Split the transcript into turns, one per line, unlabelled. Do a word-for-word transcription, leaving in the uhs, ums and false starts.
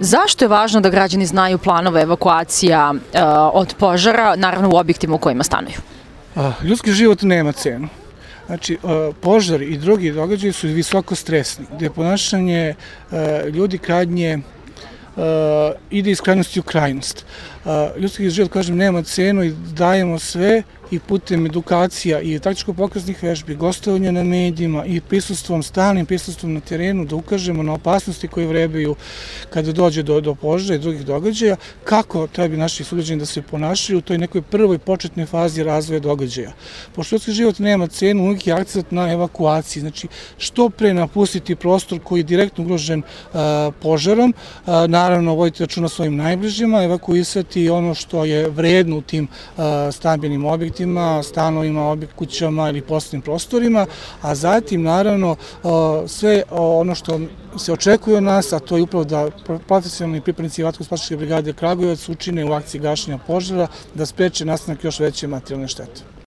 Zašto je važno da građani znaju planove evakuacija e, od požara, naravno u objektima u kojima stanuju?
A, ljudski život nema cenu. Znači, požari i drugi događaji su visoko stresni, gde ponašanje ljudi krajnje ide iz krajnosti u krajnost. Ljudski život, kažem, nema cenu i dajemo sve i putem edukacija i taktičko-pokraznih vežbi, gostovanja na medijima i prisustvom, stalnim prisustvom na terenu da ukažemo na opasnosti koje vrebaju kada dođe do, do požara i drugih događaja, kako treba naši sugrađani da se ponašaju u toj nekoj prvoj početnoj fazi razvoja događaja. Pošto ljudski život nema cenu, uvijek je akcent na evakuaciji, znači što pre napustiti prostor koji je direktno ugrožen a, požarom, a, naravno voditi računa svojim najbližima, evakuisati ono što je vredno u tim a, stambenim objektima, stanovima, kućama ili poslovnim prostorima, a zatim naravno sve ono što se očekuje od nas, a to je upravo da profesionalni pripadnici Vatrogasno-spasilačke brigade Kragujevac učine u akciji gašenja požara, da spreče nastanak još veće materijalne štete.